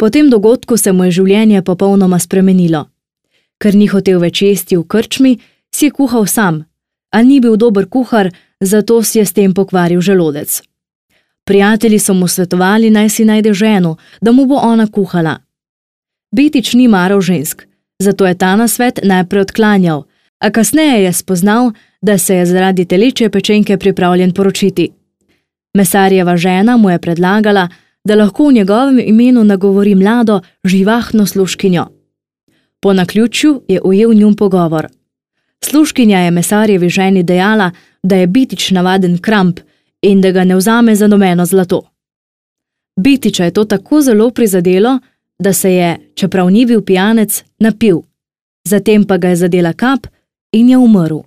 Po tem dogodku se mu je življenje popolnoma spremenilo. Ker ni hotel več jesti v krčmi, si je kuhal sam, a ni bil dober kuhar, zato si je s tem pokvaril želodec. Prijatelji so mu svetovali, naj si najde ženo, da mu bo ona kuhala. Bitič ni maral žensk, zato je ta nasvet najprej odklanjal, a kasneje je spoznal, da se je zaradi telečje pečenke pripravljen poročiti. Mesarjeva žena mu je predlagala, da lahko v njegovem imenu nagovori mlado, živahno služkinjo. Po naključju je ujel njun pogovor. Služkinja je mesarjevi ženi dejala, da je Bitič navaden kramp in da ga ne vzame za nobeno zlato. Bitiča je to tako zelo prizadelo, da se je, čeprav ni bil pijanec, napil. Zatem pa ga je zadela kap in je umrl.